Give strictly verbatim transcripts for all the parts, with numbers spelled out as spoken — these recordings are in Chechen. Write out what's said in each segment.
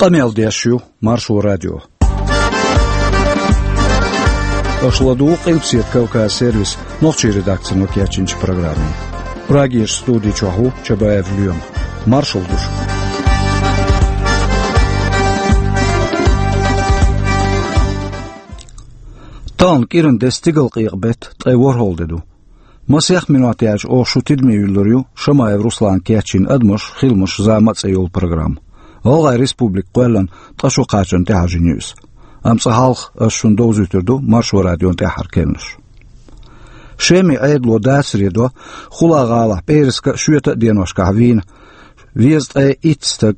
Къамел деш ю Маршо радио. Аша ладугӀу Къилбаседа Кавказ сервисан нохчийн редакцино кечйинчу программе. Прагерчу студи чохь ву Чабаев Лоьма. Маршалла ду шуьга. Тахана кӀиранде стигалкъекъа беттан ткъе ворхӀалгӀа де ду. Масех минот яьлча оха шун тидаме юьллур ю Шамаев Руслана кечйина «Адамаш, хиламаш, зама» цӀе йолу программа. ГӀалгӀайн Республика кхоьллина ткъа шо кхачарна тӀехьажийна ю иза. Амма цкъа хьалха ас шуна довзуьйтур ду Маршо радион тӀаьххьара керланаш. Шеман Ӏедало дацаре до, Хула гӀалахь пӀераска а, шоьта а деношкахь вийна везткъе итт стаг,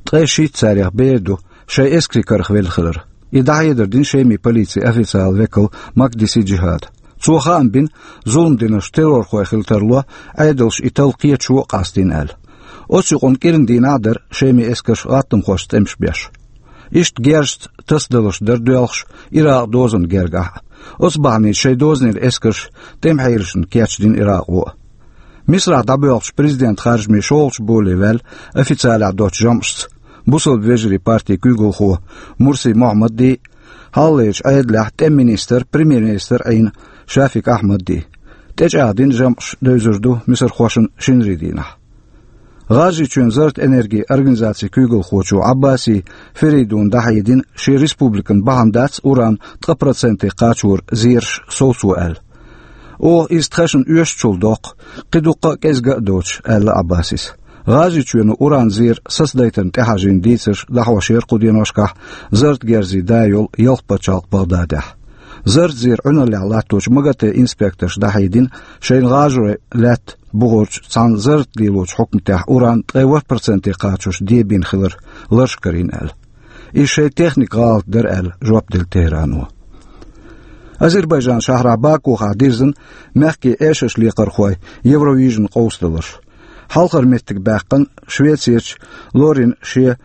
ткъе шийтта царех бер ду, шайн эскарийн карах велла хилар. И дӀахьедар дина Шеман полицин официалан векала Макдиси Джихада. Цо хаам бина, зулам динарш террорхой хила тарло, Ӏедалша и талла кхеташо а къастийна аьлла. Оцу юкъанна кӀиран дийнахь а дара Шеман эскарша гӀаттамхошца тӀемаш беш. Иштта герзашца тасадаларш дара доьлхуш Иракъан дозанна гергахь а. Оцу бахьаница шайн дозанера эскарш тӀеман хьелашна кечдина Иракъо а. Мисрахь дӀабоьлхучу президентан харжамийн шолгӀачу боле ваьлла официалехь доцучу жамӀашца бусалба вежарийн партин куьйгалхо Мурси Мохьмадди, хьалхалерчу Ӏедалехь тӀеман министр, премьер-министр Ӏийна Шафик Ахьмадди. ТӀечӀагӀдина жамӀаш, девзар ду мисархошна шинарин дийнахь. ГӀажарийчоьнан зарратан энергин организацин куьйгалхочо Ӏаббаси Феридуна дӀахьедина, шен республикана бахьана дац уран ткъа проценте кхачоран зераш совцо аьлла. Оха иза тхаьшна оьшучул доккху, кхин дуккха а кӀезга а доцуш, аьлла Ӏаббасис. ГӀажарийчоьно уран зер сацадайтарна тӀехьажийна дийцарш дӀахьош яра кху деношкахь зарратан герзийн да йолу ялх пачхьалкх Багъдадехь. Зарратан зер Ӏуьналлехь латточу МАГАТЭ инспекторша дӀахьедина, шайна гӀажарой лаьтта бухарчу цхьана зарратан лелочу хьукматехь уран ткъе ворхӀ проценте кхачош дебийна хилар ларш карийна аьлла. Иза шайн техникан гӀалат дара аьлла жоп делла Тегерано. Азербайджан шахьрахь Бакухахь дирзина мехкийн эшарш лекхархойн Евровижн къовсадаларш. Хьалхара меттиг баьккхина Швецерчу Лорин шен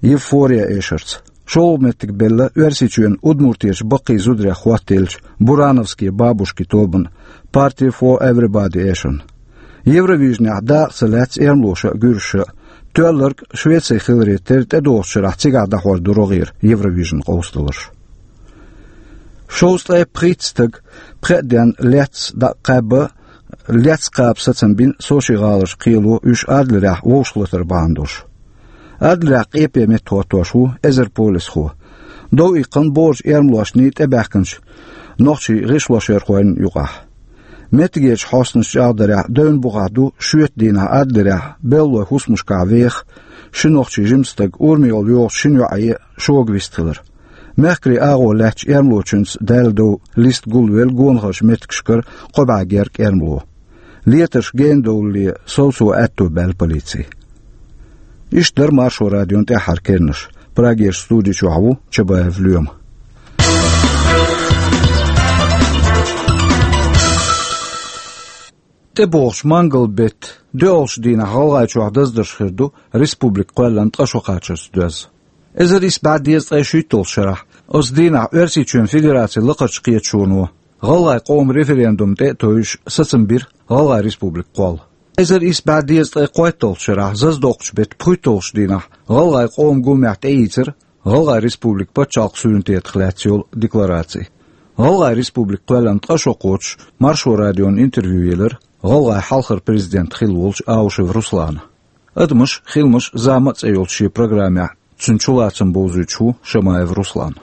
«Евфория» эшарца. ШолгӀа меттиг белла Оьрсийчоьнан Удмуртерчу баккхий зударех хӀоттаеллачу «Бурановские бабушки» тобанан «Party for Everybody» эшарна. Евровижнехь дакъа ца лаьцна эрмалоша а, гуьржаша а. Тоьлларг Швеци хиларе терра, тӀедогӀучу шарахь цигахь дӀахьор ду рогӀера Евровижн къовсадаларш. Шовзткъе пхийтта стаг пхеа денна лаьцна дӀакхаба, лаьцна кхаба сацам бина Сочи гӀаларчу кхело, уьш Адлерехь вовшахлатар бахьана долуш. Адлерехь къепе меттахӀоттош ву эзар полисхо. Дов иккхина бохурчу эрмалошний тӀебаьхкинчу нохчийн гӀишлошъярхойн юкъахь. Меттигерчу хьостанаша чӀагӀдарехь, девнан бухахь ду шоьтан дийнахь Адлерехь беллалойн хӀусамашкахь веха ши нохчийн жима стаг урамехула йогӀучу шина йоӀе шога вистхилар. Мехкарийн агӀо лаьттачу эрмалочуьнца даьлла дов листа гулвелла гонахарчу меттигашкара кхо бӀе гергга эрмало. Летарш гена довлале совцо аьтто баьлла полици. Иштта дара Маршо радион тӀаьххьара керланаш. Прагерчу студи чохь ву Чабаев Лоьма. ТӀебогӀучу мангал-беттан доьалгӀачу дийнахь ГӀалгӀайчохь даздарш хир ду республика кхоьллина ткъа шо кхачарца доьзна. Эзар исс бӀе дезткъе шийтталгӀачу шарахь оцу дийнахь Оьрсийчоьнан Федерацин Лакхарчу Кхеташоно гӀалгӀайн къоман референдум тӀе а тевжаш сацам бира ГӀалгӀайн Республика кхолла. Эзар исс бӀе дезткъе кхойтталгӀачу шарахь заздоккхучу беттан пхийтталгӀачу дийнахь гӀалгӀайн къоман гуламехь тӀеийцира ГӀалгӀайн Республикин пачхьалкх суверенитетах лаьцна йолу деклараци. ГӀалгӀайн Республика кхоьллина ткъа шо кхочуш, Маршо радиона интервью елира гӀалгӀайн хьалхара президент хилла волчу Аушев Руслана. «Адамаш, хиламаш, зама» цӀе йолчу шен программехь цуьнан чулацам бовзуьйтуш ву Шамаев Руслан.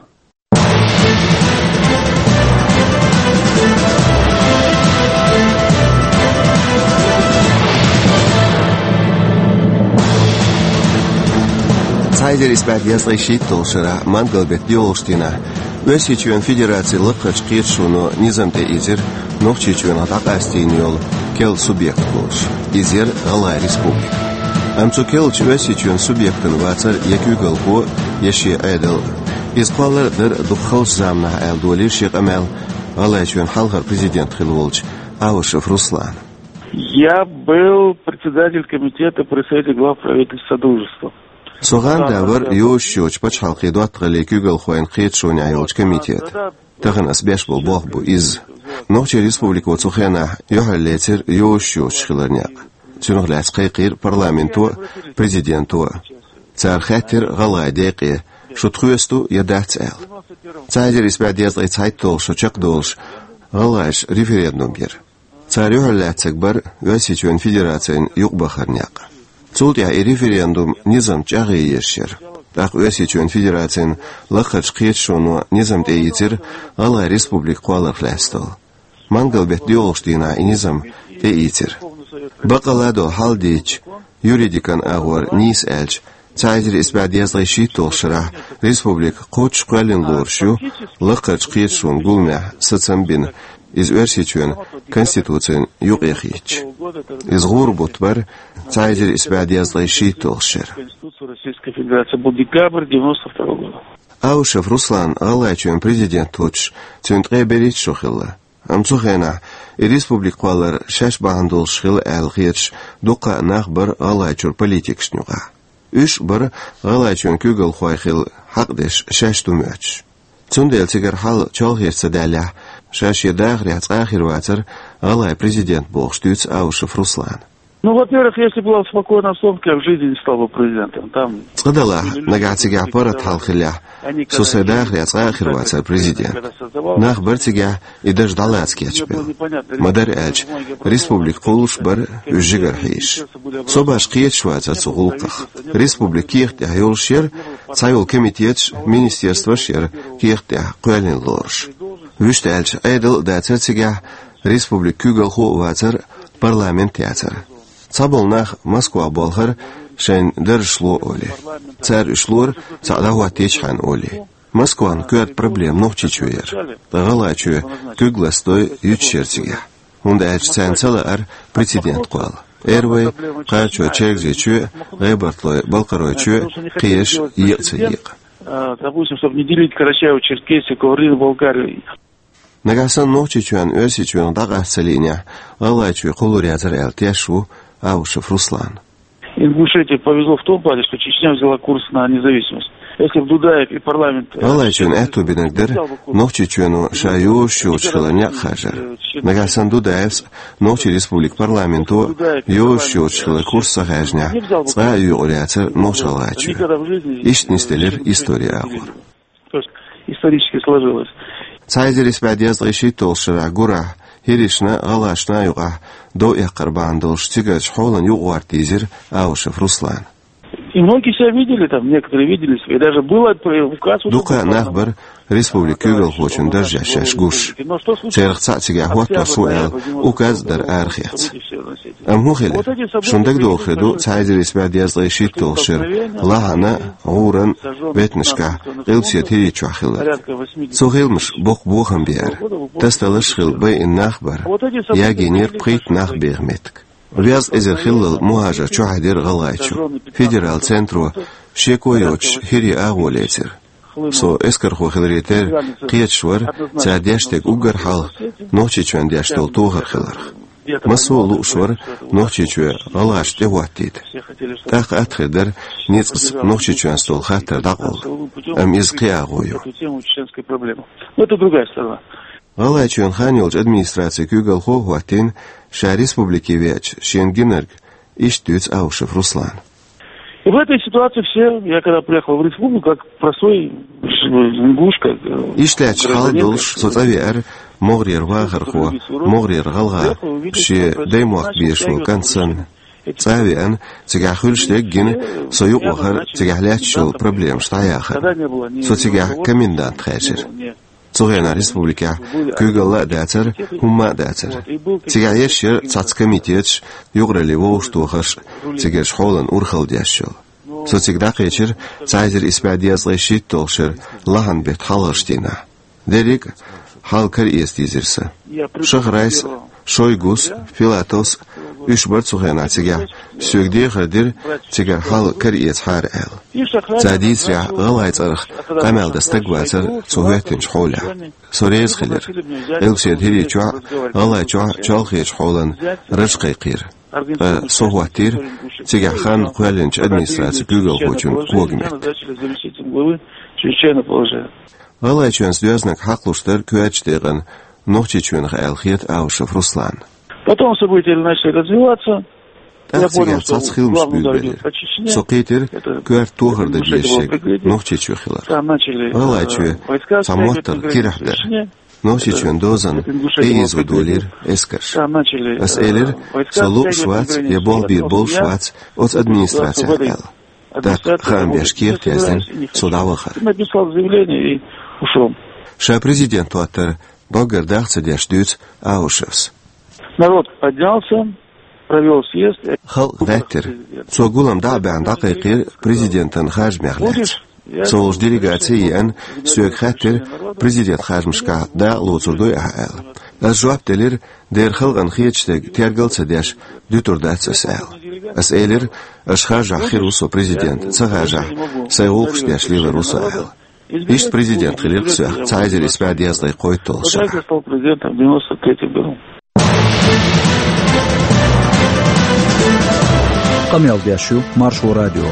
Цхьа эзар исс бӀе дезткъе шийтталгӀачу шарахь мангал-беттан доьалгӀачу дийнахь Оьрсийчоьнан Федерацин Лакхарчу Кхеташоно низам тӀеийцира Нохчийчоьнах дӀакъастийна йолу керла субъект волуш. Иза яра ГӀалгӀайн Республика. Амма цу керлачу Оьрсийчоьнан субъектана вацара я куьйгалхо, я шен Ӏедал. Иза кхоллар а дара дукха халчу заманахь, аьлла долийра шен къамел ГӀалгӀайчоьнан хьалхара президент хилла волчу Аушев Руслана. Я был председатель комитета при Совете глав правительств Содружества. Со гӀанда вара йозуш йолчу пачхьалкхийн доттагӀаллийн куьйгалхойн кхеташонехь йолчу комитетан. Тахана ас беш болу болх бу иза. Нохчийн Республико цу хенахь юьхьарлецира йозуш йоцуш хилар некъ. Цунах лаьцна кхайкхийра парламенто а, президенто а. Цара хаьттира гӀалгӀай декъе, шу тхоьца ду я дац аьлла. Цхьа эзар исс бӀе дезткъе цхьайтталгӀа шо чекхдолуш гӀалгӀаша референдум йира. Цара юьхьар лаьцнарг бара Оьрсийчоьнан Федерацина юкъабахаран некъ. Цул тӀаьхьа и референдум низам чӀагӀъе езаш яра. ТӀаккха Оьрсийчоьнан Федерацин лакхарчу кхеташоно низам тӀеийцира гӀалгӀай республика кхолларх лаьцна долу. Мангал-беттан доьалгӀачу дийнахь и низам тӀеийцира. Бакъалла долу хьал дийцича, юридикан агӀор нийса аьлча, цхьа эзар исс бӀе дезткъе шийтталгӀачу шарахь республика кхоччуш кхоьллина лоруш ю, лакхарчу кхеташонан гуламехь сацам бина, иза Оьрсийчоьнан Конституцина юкъе хиъча. Иза гӀуран бутт бара цхьа эзар исс бӀе дезткъе шийтталгӀачу шеран. Конституция Российской Федерации был декабрь девяносто второго года. Аушев Руслан ГӀалгӀайчоьнан президент хӀуттуш, цуьнан ткъе берхӀитта шо хилла. Амма цу хенахь и республика кхоллар шаьш бахьана долуш хилла аьлла хеташ дуккха а нах бара ГӀалгӀайчуьра политикашна юкъахь. Уьш бара ГӀалгӀайчоьнан куьйгалхой хила хьакъ деш шаьш ду моьттуш. Цундела цигара хьал чолхечу ца даьллехь, ша шен дахарехь цкъа а хир вацара ГӀалгӀайн президент бохуш дуьйцу Аушев Руслана. Ну, во-первых, если была спокойная обстановка, я в жизни не стал бы президентом. Там Цкъа далахь, нагахь цигахь паргӀат хьал хиллехь, со сайн дахарехь цкъа а хир вацара президент. Нах бара цигахь и дарж дӀалаца кечбелла. Ма-дарра аьлча, республика кхуллуш бара уьш жигара хьийзаш. Собарш кхеташ вацара цу гӀуллакхах. Республика кехат тӀехь йолуш яра, цхьайолу комитеташ, министерстваш а яра кехат тӀехь кхоьллина лоруш. Вуьшта аьлча, Ӏедал а дацара цигахь, республикан куьйгалхо а вацара, парламент а яцара. Цхьаболу нах Москвахь болхура шайн даржаш ло олий. Цара уьш лора, цхьаъ дӀахӀоттийчхьана олий. Москван коьрта проблема Нохчийчоь яра. Ткъа ГӀалгӀайчоь куьг ластадой юьтуш яра цигахь. ХӀунда аьлча царна ца лаьара прецедент кхолла. Эрвай, Кхачой, Чергазийчоь, ГӀебартлой, Балкхаройчоь кхиэш екъа ца екъа. А, допустим, чтобы не делить Карачаево-Черкесию, Каврин, Болгарию. Нагахь санна Нохчийчоьнна Оьрсийчоьнах дӀакъаста ца лиънехь, ГӀалгӀайчоь кхуллур яцара аьлла тешаш ву Аушев Руслан. Ингушетии повезло в том плане, что Чечня взяла курс на независимость. Если бы Дудаев и парламент, э, ГӀалгӀайчоьнна аьтто бинарг дара, Нохчийчоьно ша йозуш йоцуш хилар некъ харжар. Нагахь санна Дудаевс а, Нохчийн Республикан парламенто а йозуш йоцуш хилар курс ца хаьржинехь, цкъа а юкъур яцара Нохч-ГӀалгӀайчоь. Иштта нисделира историн агӀор. То есть исторически сложилось. Цхьа эзар исс бӀе дезткъе шийтталгӀачу шарахь гурахь, хӀиришна а, гӀалгӀашна а юкъахь дов эккхар бахьана долуш цигарчу хьолан юкъагӀорта дийзира Аушев Руслана. И многие себя видели там, некоторые видели себя. И даже было при-, указ уже Дукха был нах бара республикан куьйгалхочун даржехь шаьш гуш. Но что случилось? Царах цхьаъ цигахь хӀотто су аьлла, указ а дара арахеца. Амма хӀун хилира? Шуна дагадогӀу хир ду, цхьа эзар исс бӀе дезткъе шийтталгӀачу шеран лахьана, гӀуран, беттанашкахь, Къилбаседа ХӀирийчохь хиларг. Цу хиламаша боккха бохам беара. Тасадаларш а хилла байина нах а бара. Ягийнера пхийтта нах беха меттиг. Везткъа эзар хиллал мухӀажар чухьаьдира ГӀалгӀайчу. Федералан центро шеко а йоцуш хӀирийн агӀо лецира. Со эскархо хиларе терра кхеташ вара, цара деш дерг уггар хьалха Нохчийчоьнна деш долу тохар хиларх. Массо а лууш вара Нохчийчоь гӀалгӀашна тӀехӀоттийта. ТӀаккха атта хир дара ницкъаца Нохчийчоьнца долу хаттар дӀакъовла. Амма иза кхин агӀо ю. Ну, это другая сторона. ГӀалгӀайчоьнан хан йолчу администрацин куьйгалхо а хӀоттийна, ша республике веача шена гинарг иштта дуьйцу Аушев Руслана. И в этой ситуации все, я когда приехал в республику, как простой ингуш, как, э, Иштта лаьтташ хьал долуш, со цӀа веара могӀарера вахархо, могӀарера гӀалгӀа, шен даймохк безаш волу кӀант санна. ЦӀа а веана, цигахь хуьлуш дерг а гина, со юкъавахара цигахь лаьтташ йолу проблемаш дӀаяхарна. Со цигахь комендант хаьржира. Цу хенахь республикехь куьйгалла а дацара, хӀумма а дацара. Цигахь ерш яра цхьацца комитеташ, юкъараллин вовшахтохарш, цигарчу хьолан урхалла деш йолу. Со цига дӀакхечира цхьа эзар исс бӀе дезткъе шийтталгӀачу шеран лахьан беттан хьалхарчу дийнахь. Дерриг а хьал караэца дийзира сан. Шахрайс а, Шойгус а, Филатовс а, уьш бара цу хенахь цигахь, соьга дехар дира, цигара хьал караэцахьара аьлла. Цара дийцарехь, гӀалгӀай цӀарах къамел дан стаг вацара цо хӀоьттинчу хьолехь. Со реза хилира. Къилбаседа ХӀирийчохь а, ГӀалгӀайчохь а чолхечу хьолан раж кхайкхийра. Ткъа со хӀоттийра цигахь хан кхоьллинчу администрацин куьйгалхочун когаметта. ГӀалгӀайчоьнца доьзнаг хьакхалуш дара коьртачу декъана Нохчийчоьнах аьлла хета Аушев Руслана. Потом события начали развиваться. ТӀаккха цигахь цхьацца хиламаш буьйлабелира. Со кхийтира коьрта тохар дан дезаш шега Нохчийчоь хилар. ГӀалгӀайчоь цхьа моттар кирахь дара. Нохчийчоьнан дозанна тӀеийзо долийра эскарш. Ас элира, со лууш вац я болх бийр болуш вац оцу администрацехь аьлла. ТӀаккха хаам беш кехат яздина, со дӀавахара. Ша президент хӀоттар доггар даха ца деш дуьйцу Аушевс. Народ поднялся, провёл съезд. Халкъ гӀеттира. Цо гулам дӀа а баьхна дӀакхайкхийра президентан харжамех лаьцна. Со волчу делегаци а еана, соьга хаьттира, президент харжамашкахь дакъа лоцур дуй ахьа аьлла. Ас жоп делира, дера халкъана хеташ дерг тергал а ца деш, дуьтур дац ас аьлла. Ас элира, аша харжахь хир ву со президент, ца харжахь, сайн гӀуллакхаш деш лелар ву со аьлла. Иштта президент хилира-кх соьх цхьа эзар исс бӀе дезткъе кхойтталгӀачу шарахь. Къамел деш ю Маршо радио.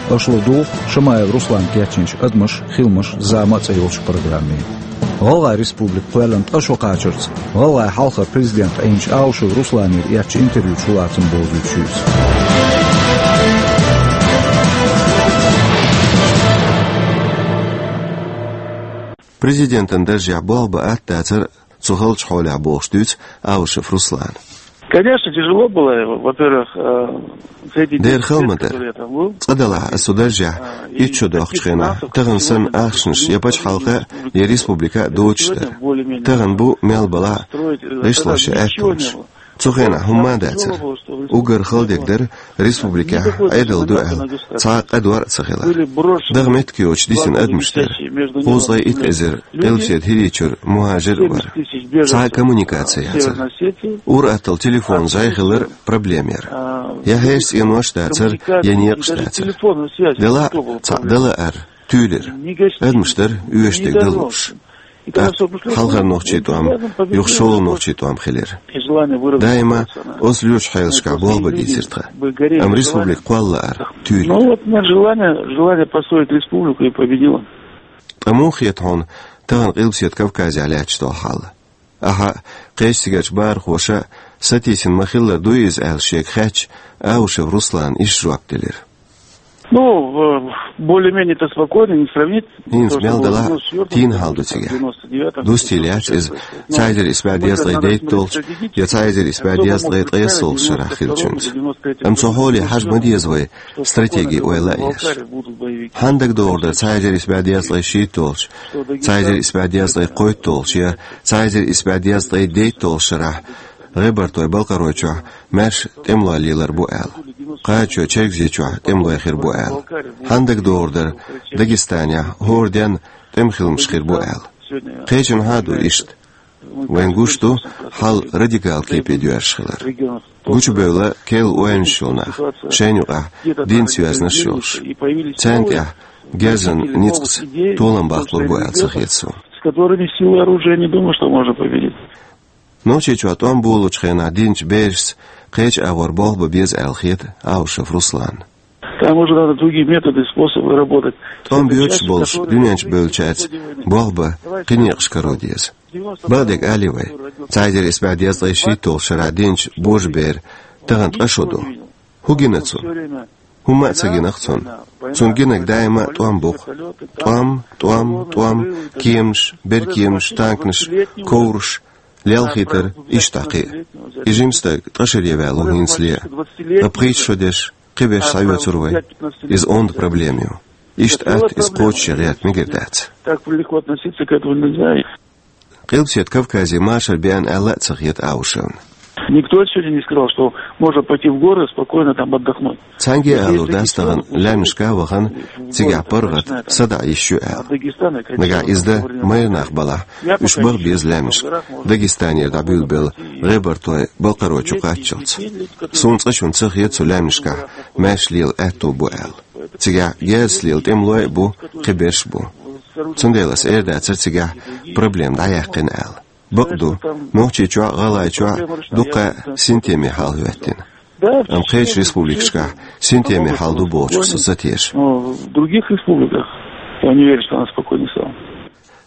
Аша ладугӀу Шамаев Руслана кечйинчу «Адамаш, хиламаш, зама» цӀе йолчу программе. ГӀалгӀай республика кхоьллина ткъа шо кхачарца, гӀалгӀайн хьалхара президент Ӏийначу Аушев Русланера эцначу интервьючу лацам бовзуьйтуш ю иза. Президентан даржехь болх бан атта дацара цу халчу хьолехь бохуш дуьйцу Аушев Руслана. Конечно, тяжело было, во-первых, э, за эти десять лет, которые я там был. Дера хала ма дара. Цкъа-делахь аса цу даржехь итт шо доккхучу хенахь, тахана санна ахчанаш я пачхьалкха а, я республика а доцуш дара. Тахана бу мел балахь а гӀишлош я аьттонаш. Цу хенахь хӀумма а дацара. Уггар хала дерг дара, республикехь Ӏедал ду аьлла цхьа а къа дор а ца хилар. Даха меттиг йоцуш дисина адамаш дара. Кхузткъе итт эзар Къилбаседа ХӀирийчуьра мухӀажир а вара. Цхьа а коммуникаци яцара. Ур-атталла телефон зӀе хилар проблема яра. Я хьешан цӀенош а дацара, я некъаш а дацара. Делахь а цхьаъ дала ара туьйлира. Адамаш дара оьшург дала лууш. ТӀаккха хьалхара нохчийн тӀом юха шолгӀа нохчийн тӀом хилира. Даима оцу лоьрачу хьелашкахь болх бан дийцира тхан. Амма республика кхолла лаара туьйра. Ну вот, нет, желание, желание построить республику и победило. Ткъа муха хета хьуна тахана Къилбаседа Кавказехь лаьтташ долу хьал? Ахьа а, кхечу цигарчу бахархоша а сатийсина ма-хиллара дуй иза аьлла шега хаьттича, Аушев Руслана иштта жоп делира. Ну, в-, более-менее-то спокойно, не сравнить. ХӀинца мел делахь а тийна хьал ду цигахь. Дустийла яц иза цхьа эзар исс бӀе дезткъе дейтталгӀачу я цхьа эзар исс бӀе дезткъе ткъайоьсналгӀачу шарахь хиллачуьнца. Амма цу хьоле хьажа ма деза вай стратеги ойла а еш. Хьанна дагадогӀур дара цхьа эзар исс бӀе дезткъе шийтталгӀачу, цхьа эзар исс бӀе дезткъе кхойтталгӀачу я цхьа эзар исс бӀе дезткъе дейтталгӀачу шарахь ГӀебартойн-Балкхаройчохь маьрша тӀемалой лелар бу аьлла, кхачо Чергазийчохь тӀемалой хир бу аьлла? Хьанна дагадогӀур дара Дагестанехь хӀора денна тӀеман хиламаш хир бу аьлла? Кхечанхьа а ду иштта. Вайн гуш ду хьал радикал кепе доьрзуш хилар. Гучубевлла керла ойланаш йолу нах, шайна юкъахь динца йоьзнарш йолуш. Царна тӀехь герзан ницкъаца толам баккхалур бу аьлла ца хета суна. С которыми силой оружия не думаю, что можно победить. Нохчийчохь тӀом болучу хенахь динчу берашца кхечу агӀор болх бан беза аьлла хета Аушев Русланна. Там уже надо другие методы, способы работать. ТӀом боьдуш болуш дуьнен чу бевллачаьрца болх бан кхин некъаш каро деза. Бакъдерг алий вай, цхьа эзар исс бӀе дезткъе шийтталгӀачу шарахь динчу божаберан тахана ткъа шо ду. ХӀун гина цунна? ХӀумма а ца гина-кх цунна. Цунна гинарг даима а тӀом бу-кх. ТӀом, тӀом, тӀом, кеманаш, беркеманаш, танканаш, ковраш, лелхийтар, иштта кхин а. И жима стаг ткъа шаре ваьлла ву хӀинцале а. Ткъа пхийтта шо дерш, кхиберш схьаоьцур вай. Иза онда проблема ю. Иштта атта иза кхочушъян гӀерта мегар дац. Так легко относиться к этому нельзя. Къилбаседа Кавказе машар беана аьлла а ца хета Аушевна. Никто сегодня не сказал, что можно пойти в горы, спокойно там отдохнуть. Цхьаьнгге а алур дац тахана лаьмнашка а вахана, цигахь паргӀат, садаӀа йиш ю аьлла. Нагахь иза дан майра нах балахь, уьш баха беза лаьмнашка, Дагестанера дӀабуьйлабелла ГӀебартойн-Балкхарой чу кхаччалц. Суна цкъачунна ца хета цу лаьмнашкахь маьрша лела аьтто бу аьлла. Цигахь герзаца лела тӀемалой а бу, кхиберш а бу. Цундела аса эр дацара цигахь проблема дӀаяьккхина аьлла. Бакъ ду, Нохчийчохь а, ГӀалгӀайчохь а дуккха а синтеме хьал хӀоьттина. Амма кхечу республикашкахь синтеме хьал ду бохучух со ца теша. Но в других республиках я не верю, что она спокойнее стала.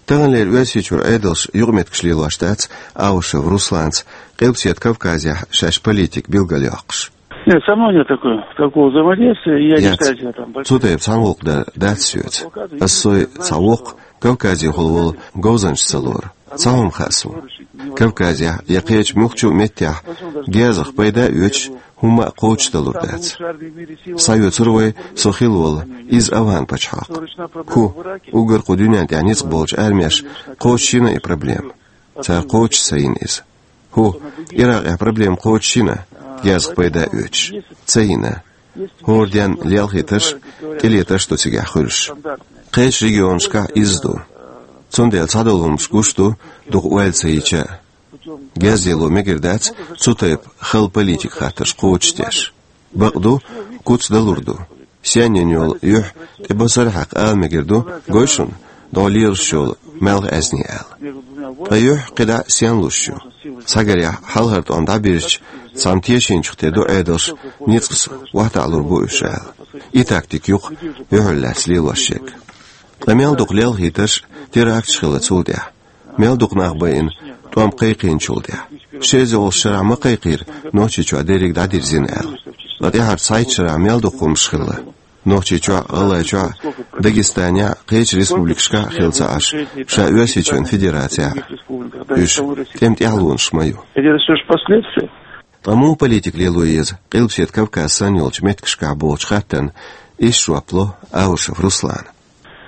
Таханлера Оьрсийчуьра Ӏедалш юкъаметтигаш лелош дац Аушев Русланца Къилбаседа Кавказехь шаьш политика билгалйоккхуш. Нет, со мной нет такой, такого взаимодействия, я не Яц. считаю себя там большим. Цу тайпа цхьана гӀуллакх дар дац соьца. Ас сой цхьа воккха Кавказехула волу говзанча ца лору. Цхьа хӀума хаьа суна. Кавказехь я кхечу муьлххачу а меттехь герзах пайда а оьцуш, хӀумма а кхочушдалур дац. Схьаоьцур вай со хилла волу, иза Афган-пачхьалкх. ХӀу, уггар кху дуьнен тӀехь ницкъ болчу армеш кхочушйина и проблема? Цара кхочуш ца йина иза. ХӀу, Иракъехь проблема кхочушйина, герзах пайда оьцуш? Ца йина. ХӀора денна лелхийтарш, тӀелетарш ду цигахь хуьлуш. Кхечу регионашкахь иза ду. Цундела цхьадолу хӀумнаш гуш ду, дукха ойла ца йича а. Герз лело мегар дац цу тайпа хала политика хаттарш кхочушдеш. Бакъ ду, куц далур ду. Сенна йолу юьхь тӀе босара хьаькхна ала мегар ду, гой шуна, дӀо лелаш йолу маьлхан аьзне аьлла. Ткъа юьхь кхидӀа сенна луш ю? Схьагарехь хьалхара тӀом дӀабирзича, цхьамма тешийначух тӀе ду Ӏедалш, ницкъаца охьатаӀалур бу уьш аьлла. И тактика ю-кх юьхьал лаьцна лелош ерг. Ткъа мел дукха лелхийтарш, теракташ хилла цул тӀаьхьа. Мел дукха нах байина тӀом кхайкхийначул тӀаьхьа. Ши эзар олучу шарахь ма кхайкхийра Нохчийчохь дерриг дӀадирзина аьлла. Ткъа тӀаьххьара цхьайтта шарахь мел дукха хӀумнаш хилла. Нохчийчохь, ГӀалгӀайчохь, Дагестанехь, кхечу республикашкахь а хилла ца Ӏаш, ша Оьрсийчоьнан Федерацехь а. Уьш тӀеман тӀаьхьалонаш ма ю. Это всё ж последствия. Ткъа муха политика лело еза Къилбаседа Кавказ санна йолчу меттигашкахь бохучу хаттарна иштта жоп ло Аушев Руслана.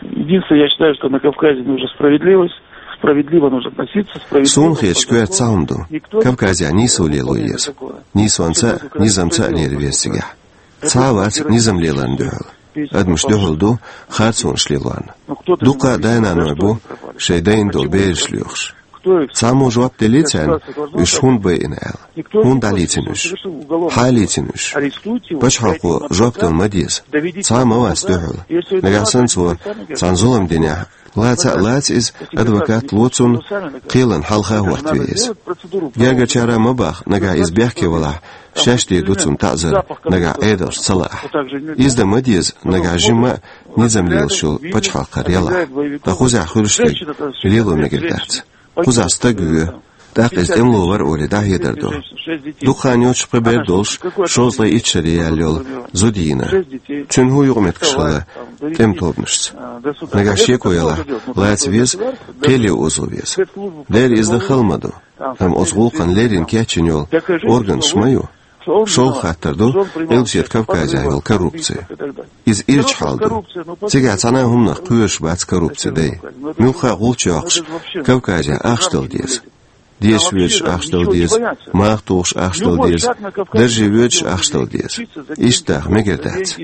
Единственное, я считаю, что на Кавказе нужна справедливость, справедливо нужно относиться, справедливо. Суна хеташ коьрта цхьа хӀума ду. Кавказехь нийсо лело еза. Нийсонца а, низамца а лерина веза цигахь. Цхьа а вац низам леларна дуьхьал. Адамаш дуьхьал ду харцонаш лелорна. Дуккха а дай-наной бу шайн дайна долу бераш лоьхуш. Цхьаммо жоп деллий царна, уьш хӀунда байина аьлла? ХӀунда дӀалийцина уьш? Хьан лийцина уьш? Пачхьалкхо жоп дала ма деза. Цхьа а ма вац дуьхьал. Нагахь санна цо царна зулам динехь, лаца а лаца иза, адвокат ло цунна, кхелан хьалха хӀоттаве иза. Гергарчара ма баха, нагахь иза бехке валахь, шаьш дийр ду цунна таӀзар, нагахь Ӏедалш ца лаахь. Иза дан ма деза, нагахь жимма а низам лелаш йолу пачхьалкхера ялахь. Ткъа кхузахь хуьлуш дерг лело мегар дац. Кхузахь стаг воь, тӀаккха иза тӀемало вара олий дӀахьедар ду. Дукха хан йоцуш пхи бер долуш, шовзткъе итт шаре яьлла йолу зуда йийна. Цуьнан хӀун юкъаметтигаш хилла тӀеман тобанашца? Нагахь шеко ялахь, лаца веза, кхеле озо веза. Дера иза дан хала ма ду. Амма оцу гӀуллакхана леррина кечйина йолу органаш ма ю. ШолгӀа хаттар ду Къилбаседа Кавказехь йолу коррупци. Иза ирча хьал ду. Цигахь цхьана а хӀуманах кхоьруш бац коррупцин дай. Муьлхха а гӀулч йоккхуш, Кавказехь ахча дала деза. Дешаш воьдуш ахча дала деза, маха тухуш ахча дала деза, дарже воьдуш ахча дала деза. Иштта даха мегар дац.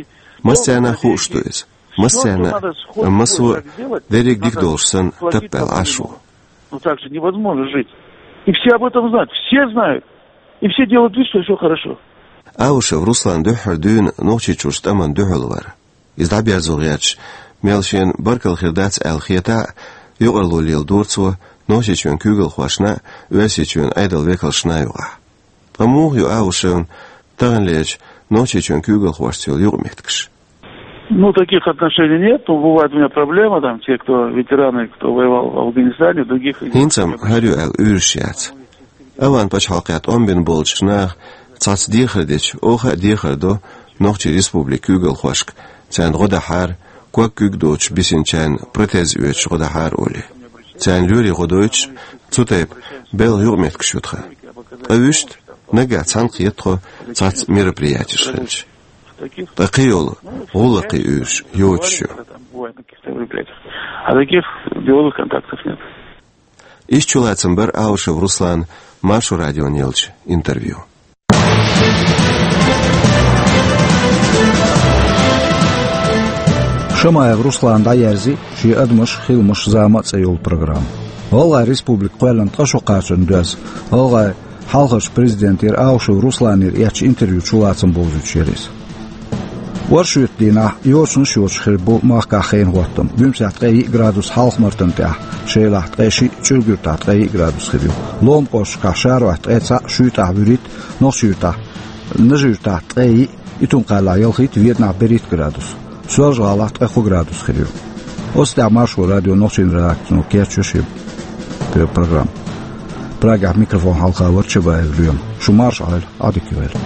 Массарна а хууш ду иза. Массарна а, амма массо а дерриг дика долуш санна таппаьлла Ӏаш ву. Ну так же невозможно жить. И все об этом знают, все знают. И все делают вид, что всё хорошо. Аушев Руслан дуьххьара дуьйна Нохчийчуьрчу тӀамна дуьхьал вара. Иза дӀаберзо гӀерташ, мел шена баркалла хир дац аьлла хетахь а, юкъарло леладора цо Нохчийчоьнан куьйгалхошна а, Оьрсийчоьнан Ӏедалан векалшна а юкъахь. Ткъа муха ю Аушевна таханлерчу Нохчийчоьнан куьйгалхошца йолу юкъаметтигаш? Ну, таких отношений нет. Ну, бывает у меня проблема, там, те, кто ветераны, кто воевал в Афганистане, в других регионах. ХӀинца-м хӀара ю аьлла уьйраш яц. Афган пачхьалкхехь тӀом бина болчу наха цхьацца дехар дича, оха а дехар до Нохчийн республикан куьйгалхошка, царна гӀо дахьара, ког куьг доцуш бисинчарна протез оьцуш гӀо дахьара олий. Царна лоьрийн гӀо дойтуш, цу тайпа белхан юкъаметтигаш ю тхан. Ткъа вуьшта, наггахь цхьаьна кхета тхо цхьацца мероприятеш хилча. Ткъа кхин йолу гӀуллакхийн уьйраш йоцуш ю. А таких деловых контактов нет. Иштта чулацам бара Аушев Руслана Маршо радиона еллачу интервью. Шамаев Руслана дӀаерзи шен «Адамаш, хиламаш, зама» цӀе йолу программа. ГӀалгӀайн Республика кхоьллина ткъа шо кхачарна доьзна, гӀалгӀайн хьалхарчу президентера Аушев Русланера эцначу интервьюн чулацам бовзуьйтуш яра иза. Оршотан дийнахь йочанаш йоцуш хир бу махкахь хенан хӀоттам. Буьмсехь ткъе йиъ градус, Хьалха-Мартан тӀехь, Шелахь ткъе шиъ, ЧӀуьргуьртахь ткъе йиъ градус хир ю. Ломан кӀошташкахь Шарохь ткъе цхьаъ, Шуьйтахь вуьрхӀитта, Нохчийчуьртахь, Нажи-Юьртахь ткъе йиъ, Итум-Кхаллахь ялхитта, Веданахь берхӀитта градус. Соьлжа-ГӀалахь ткъе кхо градус хир ю. Оцу тӀехь Маршо радион нохчийн редакцино кечйо шен программа. Прагехь микрофон хьалха вара Чабаев Лоьма. Шу марша Ӏойла, Ӏадика йойла.